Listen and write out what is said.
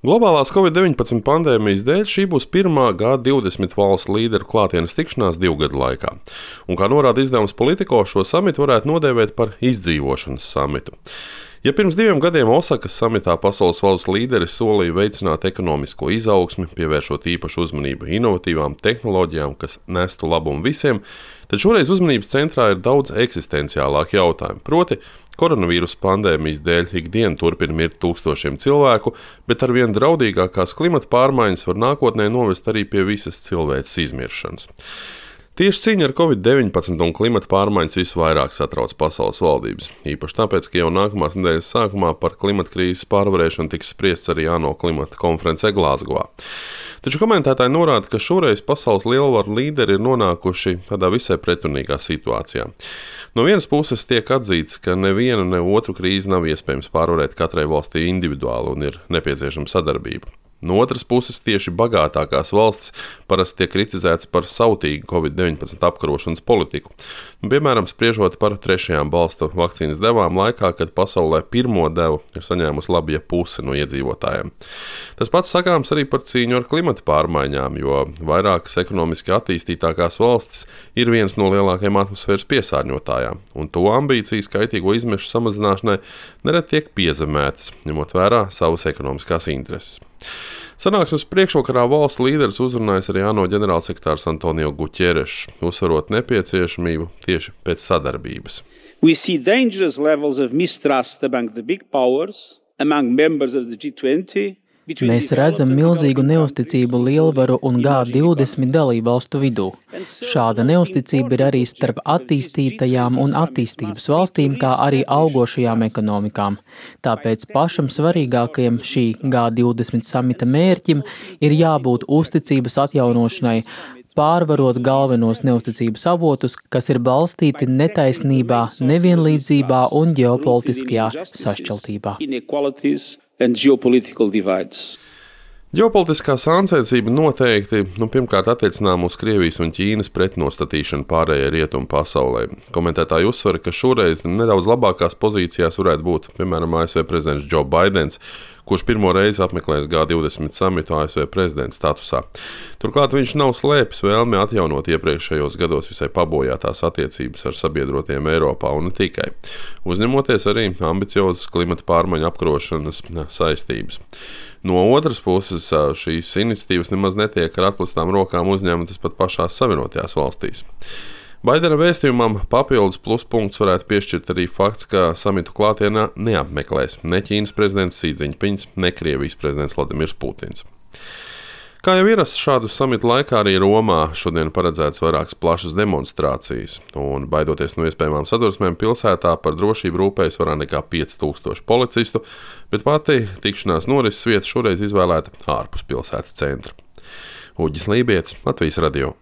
Globālās Covid-19 pandēmijas dēļ šī būs pirmā G20 valstu līderu klātienes tikšanās 2 gadu laikā. Un, kā norāda izdevums Politico, šo samitu varētu nodēvēt par izdzīvošanas samitu. Ja pirms 2 gadiem Osakas samitā pasaules valstu līderi solīja veicināt ekonomisko izaugsmi, pievēršot īpašu uzmanību inovatīvām tehnoloģijām, kas nestu labumu visiem, tad šoreiz uzmanības centrā ir daudz eksistenciālāki jautājumi. Proti, koronavīrusa pandēmijas dēļ ikdienu turpina mirt tūkstošiem cilvēku, bet arvien draudīgākās klimata pārmaiņas var nākotnē novest arī pie visas cilvēces izmiršanas. Tieši cīņa ar Covid-19 un klimata pārmaiņas visvairāk satrauc pasaules valdības. Īpaši tāpēc, ka jau nākamās nedēļas sākumā par klimata krīzes pārvarēšanu tiks spriests arī ANO klimata konferencē Glāzgovā. Taču komentētāji norāda, ka šoreiz pasaules lielvaru līderi ir nonākuši tādā visai pretrunīgā situācijā. No vienas puses tiek atzīts, ka nevienu ne otru krīzi nav iespējams pārvarēt katrai valstī individuāli un ir nepieciešama sadarbība. No otras puses, tieši bagātākās valstis parasti tiek kritizētas par sautīgu Covid-19 apkarošanas politiku. Piemēram, spriežot par trešajām balstu vakcīnas devām laikā, kad pasaulē pirmo devu ir saņēmusi labi puse no iedzīvotājiem. Tas pats sakāms arī par cīņu ar klimata pārmaiņām, jo vairākas ekonomiski attīstītākās valstis ir viens no lielākajiem atmosfēras piesārņotājām, un to ambīcijas kaitīgo izmešu samazināšanai nereti tiek piezemētas, ņemot vērā savas ekonomiskās intereses. Sanāksmes priekšvakarā valstu līderis uzrunājas arī ANO ģenerālsekretārs Antonio Guterres, uzsverot nepieciešamību tieši pēc sadarbības. We see dangerous levels of mistrust among the big powers, among members of the G20. Mēs redzam milzīgu neusticību lielvaru un G20 dalībvalstu vidū. Šāda neusticība ir arī starp attīstītajām un attīstības valstīm, kā arī augošajām ekonomikām. Tāpēc pašam svarīgākajam šī G20 samita mērķim ir jābūt uzticības atjaunošanai, pārvarot galvenos neusticības avotus, kas ir balstīti netaisnībā, nevienlīdzībā un ģeopolitiskajā sašķeltībā. Ģeopolitiskā sāncensība noteikti pirmkārt attiecinām uz Krievijas un Ķīnas pretnostatīšanu pārējai rietumu pasaulē. Komentētāji uzsver, ka šoreiz nedaudz labākās pozīcijās varētu būt, piemēram, ASV prezidents Joe Baidens, kurš pirmo reizi apmeklēs G20 samitu ASV prezidenta statusā. Turklāt viņš nav slēpis vēlmi atjaunot iepriekšējos gados visai pabojātās attiecības ar sabiedrotiem Eiropā un ne tikai, uzņemoties arī ambiciozas klimata pārmaiņu apkarošanas saistības. No otras puses, šīs iniciatīvas nemaz netiek ar atplestām rokām uzņemtas pat pašās Savienotajās valstīs. Baidena vēstījumam papildus pluspunkts varētu piešķirt arī fakts, ka samitu klātienā neapmeklēs ne Ķīnas prezidents Xi Jinpings, ne Krievijas prezidents Vladimirs Putins. Kā jau ierasts šādu samitu laikā, arī Romā šodien paredzēts vairākas plašas demonstrācijas, un baidoties no iespējamām sadursmēm pilsētā par drošību rūpējas vairāk nekā 5000 policistu, bet pati tikšanās norises vieta šoreiz izvēlēta ārpus pilsētas centra. Uģis Lībietis, Latvijas radio.